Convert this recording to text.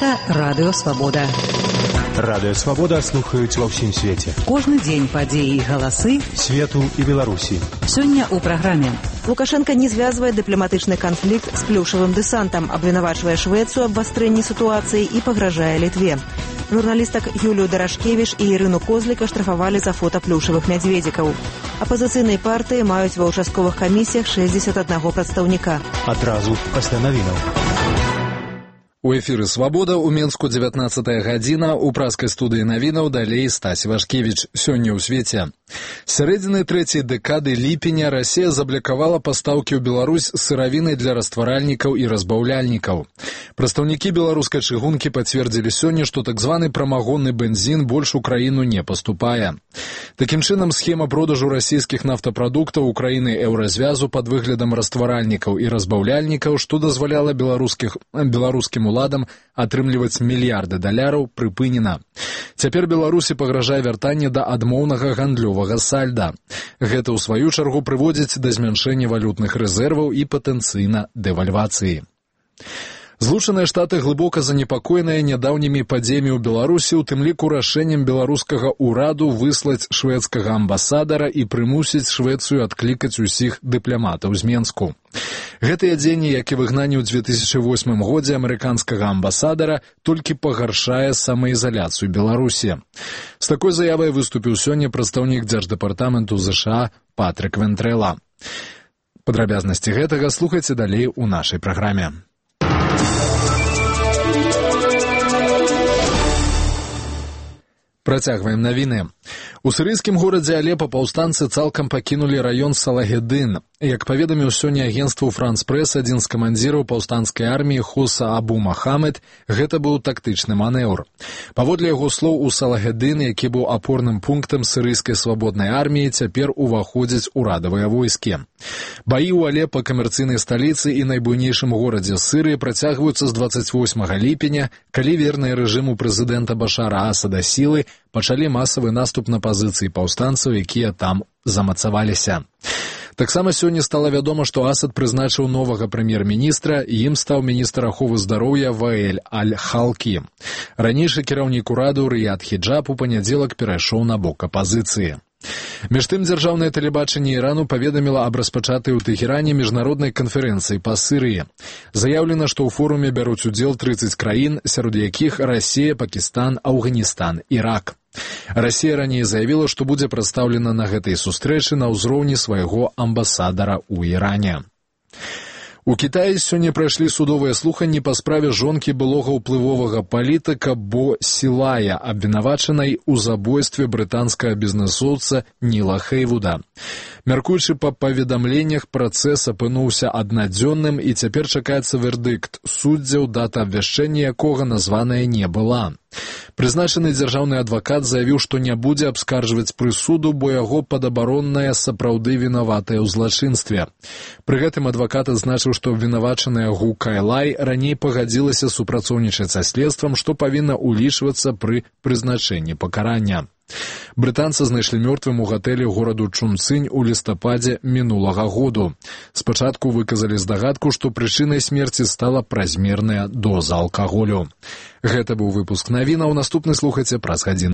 Гэта Радыё Свабода. Радыё Свабода слухаюць ва ўсім свеце. Кожны дзень падзеі і галасы свету і Беларусі. Сёння ў праграме. Лукашенко не звязвае дыпламатычны канфлікт з плюшавым дэсантам, абвінавачвае Швецыю аб абвастрэнні сітуацыі і пагражае Літве. Журналістак Юлію Дарашкевіч і Ірыну Козліка штрафавалі за фота плюшавых мядзведзікаў. Апазіцыйныя партыі маюць ва ўчастковых камісіях 61 прадстаўніка. Адразу пасля навінаў. У эфіры «Свабода» у Менску 19 гадзіна, у праскай студыі навінаў далей Стась Вашкевіч. Сёння ў свеце. З сярэдзіны трэцяй дэкады ліпеня Расія заблакавала пастаўкі ў Беларусь сыравіны для растваральнікаў і разбаўляльнікаў. Прадстаўнікі беларускай чыгункі пацвердзілі сёння, што так званы прамагонны бензін больш у краіну не паступае. Такім чынам, схема продажу расійскіх нафтапрадуктаў у краіны еўразвязу пад выглядам растваральнікаў і разбаўляльнікаў, што дазваляла беларускім уладам атрымліваць мільярды даляраў, прыпынена. Цяпер Беларусі пагражае вяртанне да адмоўнага гандлёвага сальда. Гэта, ў сваю чаргу, прыводзіць да змяншэння валютных рэзерваў і патэнцыйна дэвальвацыі. Злучаныя Штаты глыбока занепакоеныя нядаўнімі падзеямі ў Беларусі, у тым ліку рашэннем беларускага ўраду выслаць шведскага амбасадара і прымусіць Швецыю адклікаць усіх дыпламатаў з Менску. Гэтыя дзеянні, як і выгнанне ў 2008 годзе амерыканскага амбасадара, толькі пагаршае самаізаляцыю Беларусі. З такой заявай выступіў сёння прадстаўнік Дзярждэпартаменту ЗША Патрык Вентрэла. Падрабязнасці гэтага слухайце далей у нашай праграме. Працягваем навіны. У сірыйскім горадзе Алепа паўстанцы цалкам пакінулі раён Салагедын. Як паведаміў сёння агенцтву «Франс Прэс», адзін з камандзіраў паўстанцкай арміі Хоса Абу Махамед, гэта быў тактычны манеўр. Паводле яго слоў, у Салагедын, які быў апорным пунктам сірыйскай свабоднай арміі, цяпер уваходзяць урадавыя войскі. Баі ў Алепа, камерцыйнай сталіцы і найбуйнейшым горадзе Сірыі, працягваюцца з 28 ліпеня, калі верныя рэжыму прэзідэнта Башара Асада сілы пачалі масавы наступ на пазіцыі паўстанцаў, якія там замацаваліся. Таксама сёння стала вядома, што Асад прызначыў новага прэм'ер-міністра, і ім стаў міністр аховы здароўя Ваэль Аль-Халкі. Ранейшы кіраўнік ураду Рыяд Хіджаб у панядзелак перайшоў на бок апазіцыі. Між тым, дзяржаўнае тэлебачанне Ірану паведаміла аб распачатай у Тэхеране міжнароднай канферэнцыі па Сірыі. Заяўлена, што ў форуме бяруць удзел 30 краін, сярод якіх Расія, Пакістан, Афганістан, Ірак. Расія раней заявіла, што будзе прадстаўлена на гэтай сустрэчы на ўзроўні свайго амбасадара ў Іране. У Кітаі сёння прайшлі судовыя слуханні па справе жонкі былога ўплывовага палітыка Бо Сілая, абвінавачанай у забойстве брытанскага бізнэсоўца Ніла Хейвуда. Мяркуючы па паведамленнях, працэс апынуўся аднадзённым, і цяпер чакаецца вердыкт суддзяў, дата абвяшчэння якога названая не была. Прызначаны дзяржаўны адвакат заявіў, што не будзе абскарджваць прысуду, бо яго падабаронная сапраўды вінаватая ў злачынстве. Пры гэтым адвакат адзначыў, што абвінавачаная Гу Кайлай раней пагадзілася супрацоўнічаць са следствам, што павінна ўлічвацца пры прызначэнні пакарання. Брытанца знайшлі мёртвым у гатэлі гораду Чунцынь у лістападзе мінулага году. Спачатку выказалі здагадку, што прычынай смерці стала празмерная доза алкаголю. Гэта быў выпуск навінаў, наступны слухайце праз гадзіну.